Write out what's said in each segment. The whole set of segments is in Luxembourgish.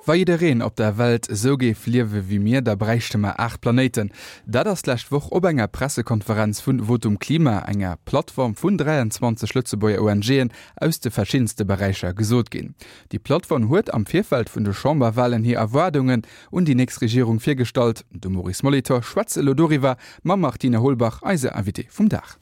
Wa jiddereen op der Welt esou géif liewe wéi mir, da bräichte mer 8 Planéiten. Dat ass d'lescht Woch op enger Pressekonferenz vun Votum Klima, enger Plattform vun 23 Lëtzebuerger ONGen aus de verschiddenste Beräicher, gesot ginn. Déi Plattform huet am Virfeld vun de Chamberwalen hir Erwaardungen un déi nächst Regierung virgestallt. De Maurice Molitor schwätzt elo doriwwer mam Martine Holbach, eise Invitée vum Dag.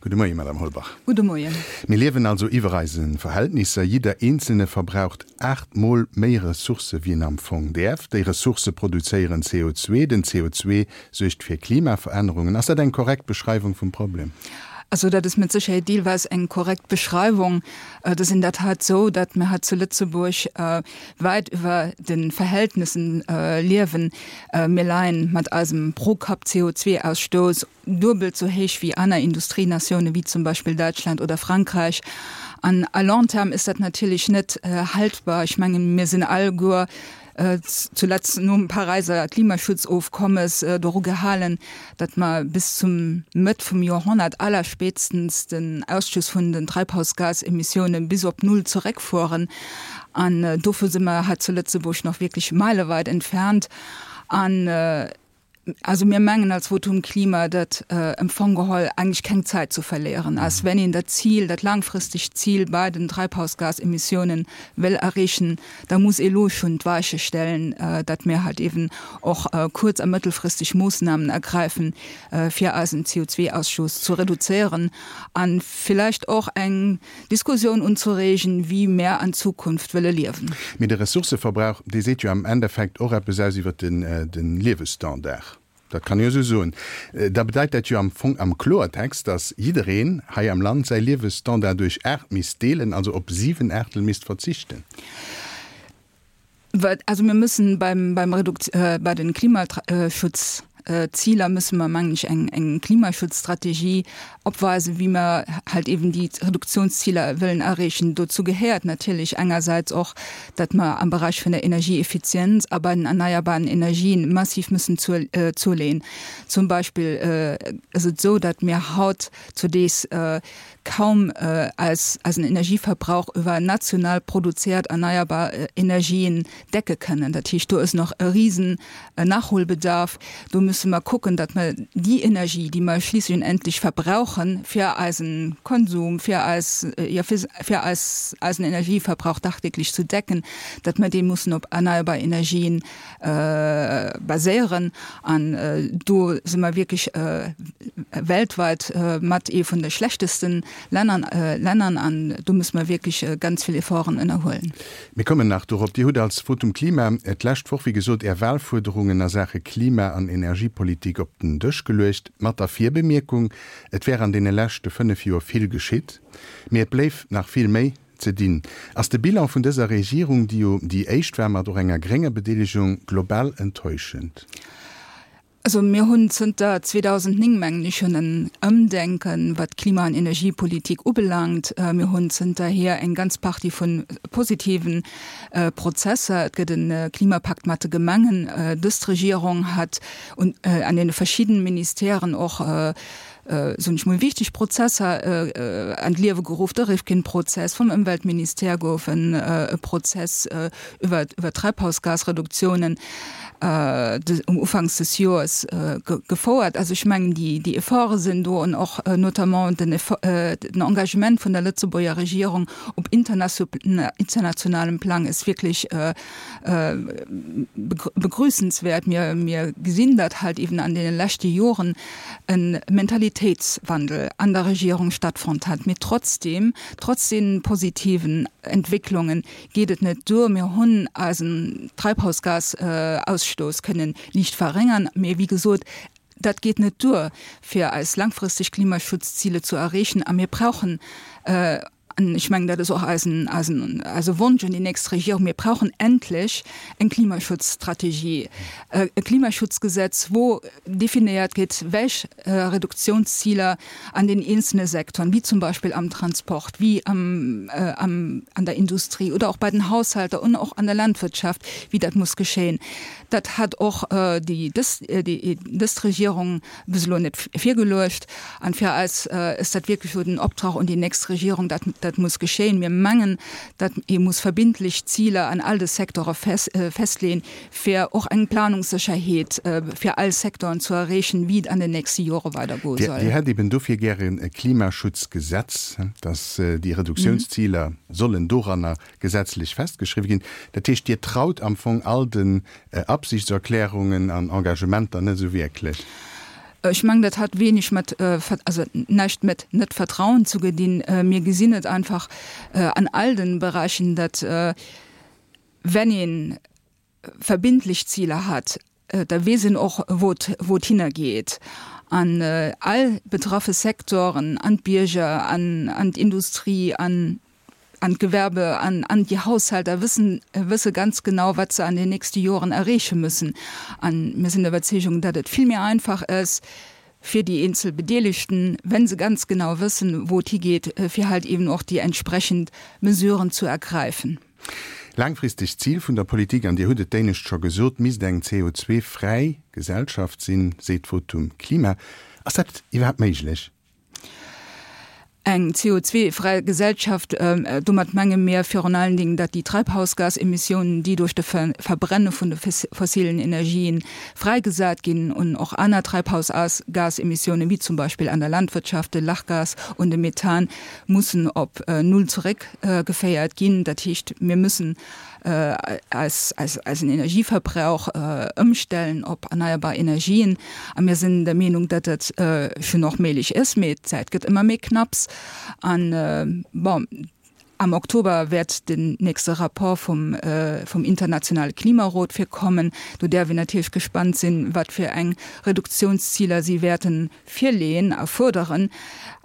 Gudde Moien, Madame Holbach. Gudde Moien. Mir liewen also iwwer eise Verhältnisser. Jidder Eenzelne verbraucht aachtmol méi Ressourcë wéi en am Fong däerf. Déi Ressourcë produzéieren CO2. Den CO2 suergt fir Klimaverännerungen. Ass dat eng korrekt Beschreiwung vum Problem? Also dat ass mat Sécherheet deelweis eng korrekt Beschreiwung. Et ass in der Tat esou, datt mir hei zu Lëtzebuerg wäit iwwer de Verhältnissen liewen. Mir leien mat eisem Pro-Kapp-CO2-Ausstouss duebelt sou héich wéi aner Industrienatiounen, wéi zum Beispill Däitschland oder Frankräich. An à long terme ist dat natierlech net haltbar. Ech mengen, mir sinn alleguer zuletzt nom Paräiser Klimaschutzofkommes doru gehalen, datt mer bis zum Mëtt vum Joerhonnert allerspätstens den Ausstoß vun den Treibhausgasemissiounen bis op Null zeréckfueren. An dovu si mer hei zu Lëtzebuerg nach wierklech meileweit entfernt. An Also mir mengen als Votum Klima, datt em Fong geholl eigentlech keng Zäit zu verléieren ass. Wenn een dat Zil, dat laangfristegt Zil bei den Treibhausgasemissiounen wëll erreechen, da muss ee lo schonn d'Weiche stellen, datt mir halt eben och kuerz a mëttelfristeg Moossnamen ergräifen, fir eisen CO2-Ausstoß zu reduzéieren a villäicht och eng Diskussioun unzereegen, wéi mär an Zukunft wëlle liewen. Mee de Ressourcëverbrauch, dee seet jo am Endeffekt och eppes aus iwwer de Liewesstandard. Dat kann ee jo esou soen. Da bedeit dat jo am Fong am Kloertext, datt jiddereen hei am Land säi Liewesstandard duerch 8 misst deelen, also op 7 Aachtel misst verzichten. Also mir müssen beim, beim Redukt, äh, bei den Klimaschutzziler müssen mer, mengen ech, eng, eng Klimaschutzstrategie opweisen, wéi mer halt eben déi Reduktionsziler wëllen erreechen. Dozou gehéiert natierlech engersäits och, datt mer am Bereich vun der Energieeffizienz a bei den erneierbaren Energien massiv müssen zu, äh, zuleen. Zum Beispill äh, ass et esou, datt mir haut zudees äh, kaum eis eisen Energieverbrauch iwwer national produziert erneierbar Energien decke kënnen. Dat heescht, do ass nach e risen Nachholbedarf. Do musse mer kucken, datt mer déi Energie, déi mer schliisslech und endlich verbrauchen fir eisen Konsum, fir eis, jo, fir eis eisen Energieverbrauch dagdeeglech zu decken, datt mer dee mussen op erneierbar Energien baséieren an do si mer wierklech weltweit mat ee vun de schlechtesten Lännern Lännern an do musse mer wierklech ganz vill Efforten ënnerhuelen. Mir kommen nach dorop. Dir hutt als Votum Klima d'lescht Woch, wéi gesot, Är Wahlfuerderungen a Saache Klima an Energiepolitik op den Dësch geluecht, mat der Virbemierkung, et wär an deene leschte 5 Joer vill geschitt, mee et bléif nach vill méi ze dinn. Ass de Bilan vun dëser Regierung, déi jo déi éischt war mat och enger grénger Bedeelegung, global enttäuschend? Also mir hunn zënter 2009, mengen ech, schonn en Ëmdenken, wat d'Klima an Energiepolitik ubelaangt. Mir hunn zënterhier eng ganz Partie vu positiven Prozesser. Et gëtt e Klimapakt mat de Gemengen. Dës Regierung hat un an deene verschiddenen Ministèren och soen ech mol, wichteg Prozesser an d'Liewe geruff, de Rifkin-Prozess, vum Ëmweltministère gouf en e Prozess iwwer iwwer d'Treibhausgasreduktiounen um Ufanks des Joers gefouert. Also ech mengen, déi déi Efforte sinn do an och notamment den den Engagement vun der Lëtzebuerger Regierung op internationalem Plang ass wierklech begrüßenswert. Mir mir gesinn, datt halt eben an deene leschte Joren e Mentalitéitswandel an der Regierung stattfonnt hat. Mee trotzdem, trotz deenen positiven Entwécklungen geet et net duer. Mir hunn eisen Treibhausgasausstoß kënnen liicht verréngern, mee wéi gesot, dat geet net duer, fir eis langfristeg Klimaschutzziele zu erreechen. A mir brauchen An ech mengen, dat ass och eisen, eisen, eise Wonsch un déi nächst Regierung, Mir brauchen endlech eng Klimaschutzstrategie, e Klimaschutzgesetz, wou definéiert gétt, welch Reduktionsziler an den eenzelne Sektoren, wéi zum Beispill am Transport, wéi am, am, an der Industrie oder och bei den Haushalter und och an der Landwirtschaft, wéi dat muss geschéien. Dat hat och déi, dës, déi, dës Regierung bis elo net virgeluecht. An fir eis ass dat wierklech elo den Optrag un déi nächst Regierung, dat. dat muss geschéien. Mir mengen, datt ee muss verbindlech Ziler an all de Secteure festleeën, fir och eng Planungssécherheet fir all Secteuren zu erreechen, wéi et an den nächste Jore weidergoe soll. Dir hätt eben dofir gären e Klimaschutzgesetz, datt déi Reduktiounsziler sollen doranner gesetzlech festgeschriwwen ginn. Dat heescht, Dir traut am Fong all den Absichtserklärungen an Engagementer net esou wierklech? Ech mengen, dat hat wenig mat, also näischt mat net Vertrauen ze gedinn. Mir gesinn et einfach an all den Beräichen, datt wenn ee verbindlech Ziler hat, da weess een och, wou et, wou et hinnergeet. An all betraffe Secteuren, an d'Bierger, an, an d'Industrie, an, an d'Gewerbe, an, an déi Haushalter wëssen, wësse ganz genau, wat se an den nächste Joren erreeche müssen. An mir sinn der Iwwerzeegung, datt et vill méi einfach ass fir déi eenzel Bedeelegten, wenn se ganz genau wëssen, wou et higeet, fir halt eben och déi entsprechend Mesuren zu ergreifen. Laangfristegt Zil vun der Politik, an Dir hutt et d'éinescht scho gesot, misst eng CO2-fräi Gesellschaft sinn, seet d'Votum Klima. Ass dat iwwerhaapt méiglech? Eng CO2-fräi Gesellschaft, domat menge mir virun allen Dingen, datt déi Treibhausgasemissiounen, déi duerch de Verbrenne vun de fossilen Energien fräigesat ginn, un och aner Treibhausgasemissiounen, wéi zum Beispill an der Landwirtschaft de Lachgas und de Methan, mussen op Null zeréckgeféiert ginn. Dat heescht, mir müssen eis, eisen Energieverbrauch ëmstellen op erneierbar Energien. A mir sinn der Meenung, datt dat schonn och méiglech ass, mee d'Zäit gëtt ëmmer méi knapps. An, bon, am Oktober wäert den nächste Rapport vum, vum internationale Klimarot virkommen. Do däerf een natierlech gespannt sinn, wat fir eng Reduktionsziler si wäerten virleeën a fuerderen.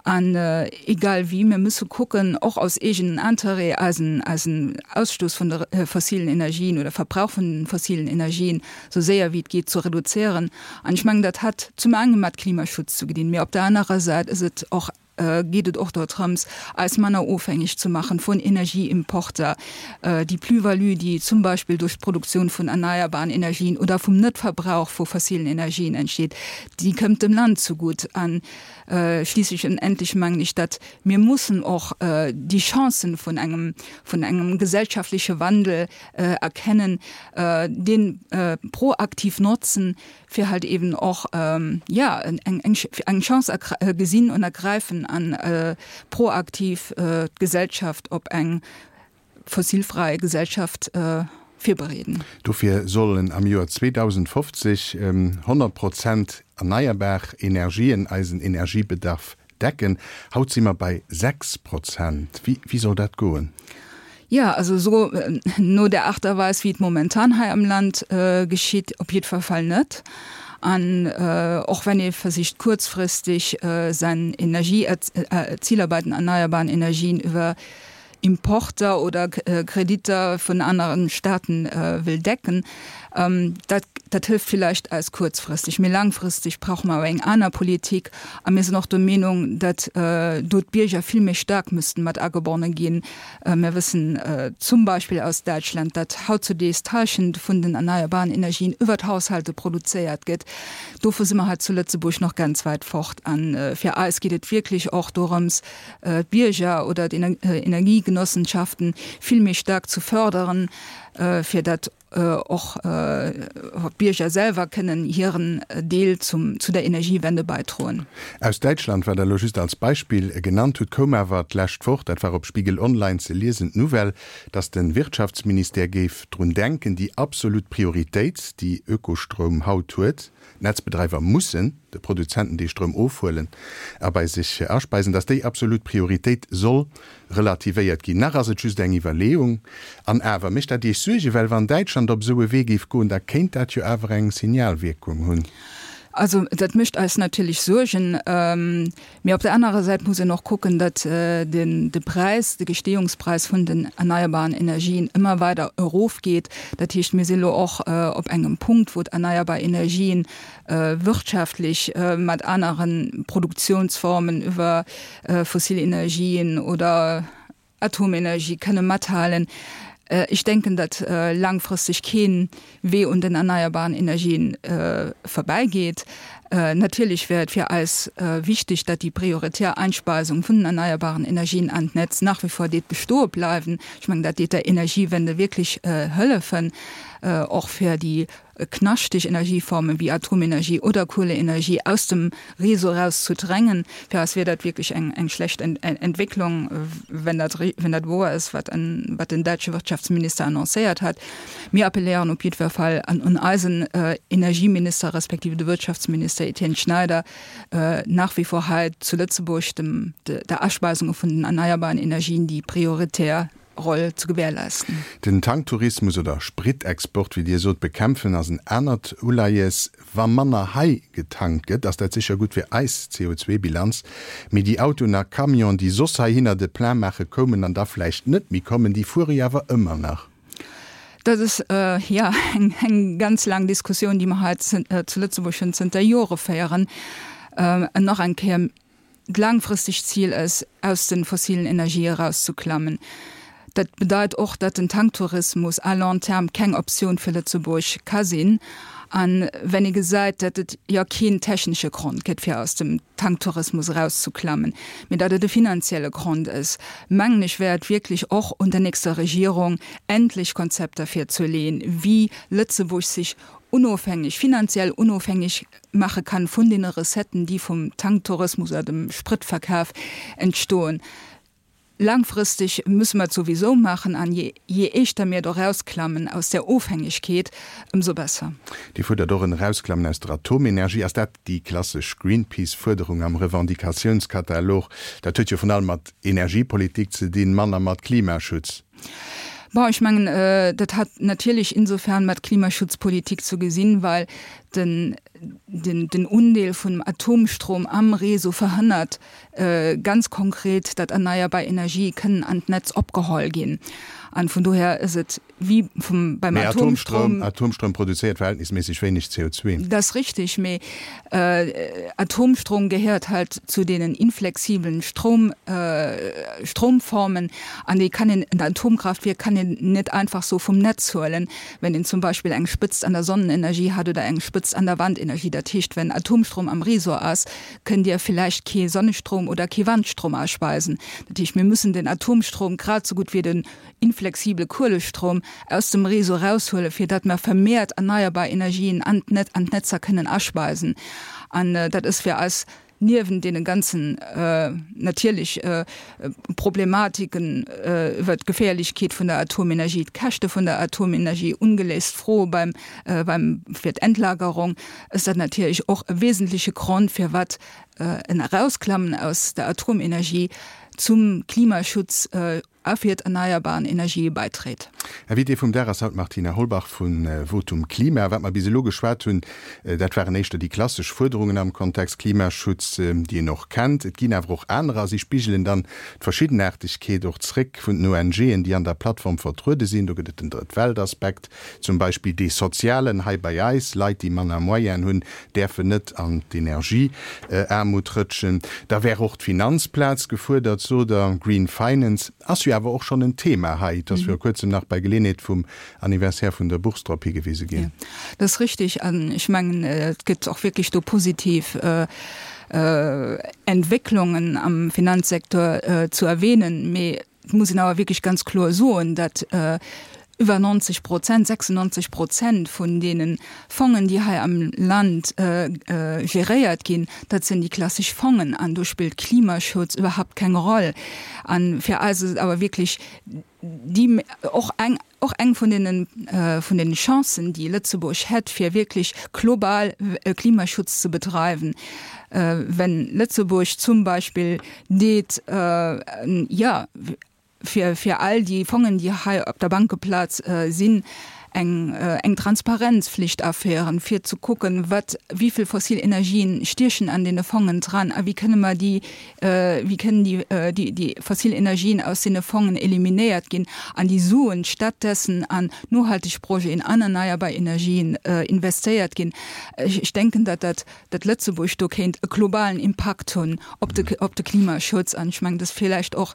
An egal wéi, mir musse kucken, och aus eegenen Interêt, eisen, eisen Ausstoß vun de fossilen Energien oder Verbrauch vun den fossilen Energien esou séier wéi et geet ze reduzéieren. An ech mengen, dat hat zum enge mat Klimaschutz ze gedinn, mee op der anerer Säit ass et och, geet et och dortrëms, eis manner ofhängeg ze maachen vun Energieimporter. Déi Plus-value, déi zum Beispill duerch d'Produktioun vun erneierbaren Energien oder vum Netverbrauch vu fossilen Energien entsteet, déi këmmt dem Land zugutt. An schliisslech und endlech mengen ech, datt mir mussen och déi Chancen vun engem, vun engem gesellschaftleche Wandel erkennen, dee proaktiv notzen, fir halt eben och, jo, eng, eng Chance gesinn und ergreifen an proaktiv d'Gesellschaft op eng fossilfrei Gesellschaft virbereeden. Dofir sollen am Joer 2050 100 Prozent erneierbar Energien eisen Energiebedarf decken. Haut si mer bei 6 Prozent. Wéi soll dat goen? Jo, also esou no der Art a Weis, wéi et momentan hei am Land geschitt, op jiddwer Fall net. An och wenn ee versicht kuerzfristeg säin Energieziler bei den erneierbaren Energien iwwer Importer oder Kreditter vun aneren Staaten wëll decken, dat dat hëlft villäicht eis kuerzfristeg, mee laangfristeg brauche mer awer eng aner Politik. A mir sinn och der Meenung, datt do d'Bierger vill méi staark müssten mat agebonne ginn. Mir wëssen zum Beispill aus Däitschland, datt hautzudees d'Halschent vun den erneierbaren Energien iwwer d'Haushalte produzéiert gëtt. Dovu si mer hei zu Lëtzebuerg nach ganz wäit fort. A fir eis geet et wierklech och dorëms, d'Bierger oder d'Energiegenossenschaften vill méi staark zu förderen, fir datt och d'Bierger selwer kënnen hiren Deel zum, zu der Energiewende bäidroen. Aus Däitschland, wat Der elo just als Beispill genannt hutt, koum awer d'lescht Woch, dat war op Spiegel Online ze liesen, d'Nouvelle, datt de Wirtschaftsministère géif drun denken, déi absolut Prioritéit, déi Ökostroum haut huet, D'Netzbedreiwer mussen de Produzenten dee Stroum ofhuelen a bei sech aspeisen, datt déi absolut Prioritéit soll relativéiert ginn. Nach ass et just eng Iwwerleeung. An awer, mécht dat Iech Suergen? Well wann Däitschland op esou e Wee géif goen, da kéint dat jo awer eng Signalwierkung hunn. Also dat mécht eis natierlech Suergen. Mee op der anerer Säit muss een och kucken, datt den de Präis, de Gestehungspräis vun den erneierbaren Energien ëmmer weider erofgeet. Dat heescht, mir si lo och op engem Punkt, wou d'erneierbar Energien wirtschaftlech mat anere Produktionsformen iwwer fossil Energien oder Atomenergie kënne mathalen. Ech denken, datt laangfristeg kee Wee un den erneierbaren Energien vorbäigeet. Natierlech wär et fir eis wichteg, datt déi prioritär Einspeisung vun den erneierbaren Energien an d'Netz nach wie vor deet bestoe bleiwen. Ech mengen, dat deet der Energiewende wierklech hëllefen, och fir déi knaschteg Energieformen wéi Atomenergie oder Kueleenergie aus dem Réseau eraus zu drängen. Fir eis wier dat wierklech eng eng schlecht Entwécklung, wenn dat wenn dat woer ass, wat wat den däitsche Wirtschaftsminister annoncéiert hat. Mir appelléieren op jiddwer Fall an un eisen Energieminister respektive de Wirtschaftsminister Etienne Schneider, nach wie vor hei zu Lëtzebuerg dem der Aspeisung vun den erneierbaren Energien déi prioritär Roll zu gewährleisten. Den Tanktourismus oder Spritexport, wéi Dir sot, bekämpfen ass en anert Uleies. Wa manner hei getankt gëtt, ass dat sécher gutt fir eis CO2-Bilanz, mee déi Autoen a Camionen, déi soss heihinner de Plein maache koumen an da vläicht net méi kommen, déi fuere jo awer ëmmer nach. Dat ass, jo, eng ganz laang Diskussioun, déi mer hei zu Lëtzebuerg schonn zënter Jore féieren. An nach eng Kéier, D'laangfristegt Zil ass, aus de fossilen Energië erauszeklammen. Dat bedeit och, datt den Tanktourismus à long terme keng Optioun fir Lëtzebuerg ka sinn. A wenn ee gesäit, datt et jo keen technesche Grond gëtt, fir aus dem Tanktourismus erauszeklammen, mee datt et e finanzielle Grond ass, mengen ech, wär et wierklech och un der nächster Regierung, endlech Konzepter virzeleeën, wéi Lëtzebuerg sech onofhängeg, finanziell onofhängeg maache kann vun deene Recetten, déi vum Tanktourismus oder dem Spritverkaf entstoen. Laangfristeg musse mer et souwisou maachen an je éischter mir do erausklammen aus där Ofhängegkeet, ëmsou besser. Dir fuerdert och en Erausklammen aus der Atomenergie. Ass dat déi klassesch Greenpeace-Fuerderung am Revendicatiounskatalog? Dat huet jo vrun allem mat Energiepolitik ze dinn, manner mat Klimaschutz. Bon, ech mengen, dat hat natierlech insofern mat Klimaschutzpolitik zu gesinn, well den, den, den Undeel vun Atomstrom am Réseau verhënnert ganz konkret, datt erneierbar Energie kënnen an d'Netz opgeholl ginn. An vun dohier ass et wéi vum, beim Mee Atomstrom. Atomstrom produzéiert verhältnisméisseg wéineg CO2. Dat ass richtig, mee Atomstrom gehéiert halt zu deenen inflexiblen Strom, Stromformen an déi kann een, en Atomkraftwierk kann een net einfach sou vum Netz huelen, wenn een zum Beispill eng Spëtzt an der Sonnenenergie hat oder eng Spëtzt an der Wandenergie. Dat heescht, wenn Atomstrom am Réseau ass, kënnt Dir villäicht kee Sonnestrom oder kee Wandstrom aspeisen. Dat heescht, mir müssen den Atomstrom grad sou gutt wéi den inflexible Kuelestrom aus dem Réseau eraushuelen, fir datt mer vermehrt erneierbar Energien an d'Netzer kënnen aspeisen. An dat ass fir eis niewent deene ganzen natierlech Problematiken iwwert d'Geféierlechkeet vun der Atomenergie, d'Käschte vun der Atomenergie, ungeléist Froe beim, beim, fir d'Endlagerung, ass dat natierlech och e wesentleche Grond, firwat en Erausklammen aus der Atomenergie zum Klimaschutz a fir d'erneierbaren Energië bäidréit. Invitée vum Dag ass haut d'Martina Holbach vu Votum Klima. Wat mer bis elo geschwat hunn, dat waren éischter déi klassesch Fuerderungen am Kontext Klimaschutz, déi een och kennt. Et ginn awer och anerer a si spigelen dann d'Verschiddenaartegkeet och zréck vun den ONGen, déi an der Plattform vertruede sinn. Do gëtt et den Drëtt-Welt-Aspekt zum Beispill, dee sozialen hei bei eis, Leit, déi manner Moyenen hunn, däerfen net an d'Energieaarmut rëtschen. Da wär och d'Finanzplaz gefuerdert, sot Der. Green Finance ass jo awer och schonn en Thema hei. Et ass viru kuerzem nach bei Geleeënheet vum Anniversaire vun der Bourse drop higewise ginn. Jo, dat ass richtig. An ech mengen, et gëtt och wierklech do positiv Entwécklungen am Finanzsektor zu erwähnen. Mee Et muss een awer wierklech ganz kloer soen, datt iwwer 90 Prozent, 96 Prozent vun deene Fongen, déi hei am Land geréiert ginn, dat sinn déi klassesch Fongen an do spillt Klimaschutz iwwerhaupt keng Roll. A fir eis ass et awer wierklech déi och eng, och eng vun deene, vun deene Chancen, déi Lëtzebuerg hätt, fir wierklech global Klimaschutz ze bedreiwen, wenn Lëtzebuerg zum Beispill deet, jo, fir, fir all déi Fongen, déi hei op der Bankeplaz sinn, eng, eng Transparenzflicht aféieren, fir ze kucken, wat, wéi vill fossil Energien stiechen an deene Fongen dran a wéi kënne mer déi, wéi kënnen déi, déi, déi fossil Energien aus deene Fongen eliminéiert ginn an déi Suen stattdessen an nohalteg Projeten, an erneierbar Energien investéiert ginn. Ech denken, datt dat datt Lëtzebuerg do kéint e globalen Impakt hunn op de, op de Klimaschutz. An ech mengen, dat ass villäicht och.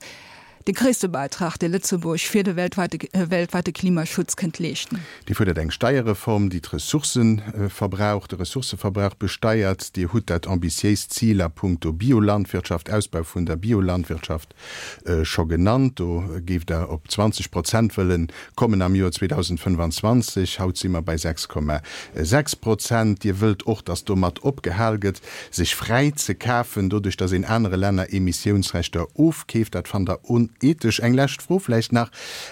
de gréisste Beitrag, dee Lëtzebuerg fir de weltweite, weltweite Klimaschutz kënnt leeschten. Dir fuerdert eng Steierreform, déi d'Ressourcëverbrauch, de Ressourcëverbrauch besteiert. Dir hutt dat ambitiéist Zil a puncto Biolandwirtschaft, Ausbau vun der Biolandwirtschaft scho genannt. Do géift Der op 20 Prozent wëllen kommen am Joer 2025. Haut si mer bei 6,6 Prozent. Dir wëllt och, dass domat opgehal gëtt, sech fräi ze kafen, doduerch dass een anere Länner Emissiounsrechter ofkeeft. Dat fannt Der onethesch. Eng lescht Fro vläicht nach,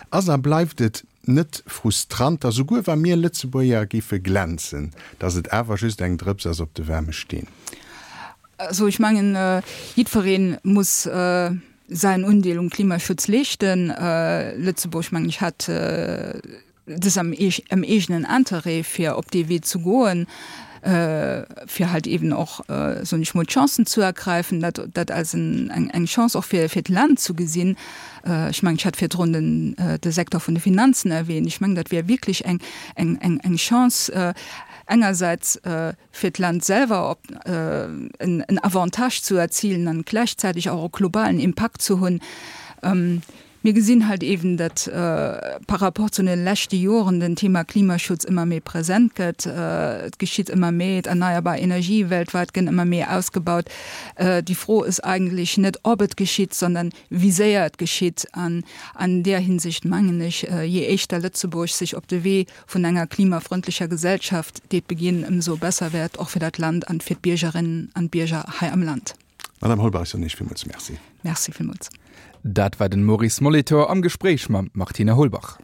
Ass a bleift et net frustrant, dass souguer wa mir Lëtzebuerger géife glänzen, dass et awer just eng Drëps ass op de waarme Steen? Also ech mengen, jiddweree muss säin Undeel um Klimaschutz leeschten. Lëtzebuerg, mengen ech, hat dës am eegenen Interêt, fir op dee Wee ze goen, fir halt eben och, soen ech mol, d'Chancen zu ergreifen, dat, dat als eng Chance och fir, fir d'Land zu gesinn. Ech mengen, ech hat virdrun den, de Secteur vun de Finanzen erwähnt. Ech mengen, dat wär wierklech eng, eng, eng, eng Chance, engersäits fir d'Land selwer op en, en Avantage zu erzilen an gläichzäitig och e globalen Impakt ze hunn. Mir gesinn halt eben, datt par rapport zu den leschte Joren den Thema Klimaschutz ëmmer méi present gëtt. Et geschitt ëmmer méi, d'erneierbar Energie weltweit gënn ëmmer méi ausgebaut. Déi Fro ass eigentlech net, ob et geschitt, sondern wéi séier et geschitt. An an där Hinsicht mengen ech, je éischter Lëtzebuerg sech op de Wee vun enger klimafreundlecher Gesellschaft deet beginn, ëmsou besser wär et och fir dat Land an fir d'Biergerinnen an d'Bierger hei am Land. Madame Holbach, ech soen Iech villmools Merci. Merci villmools. Dat war den Maurice Molitor am Gespréich mam Martine Holbach.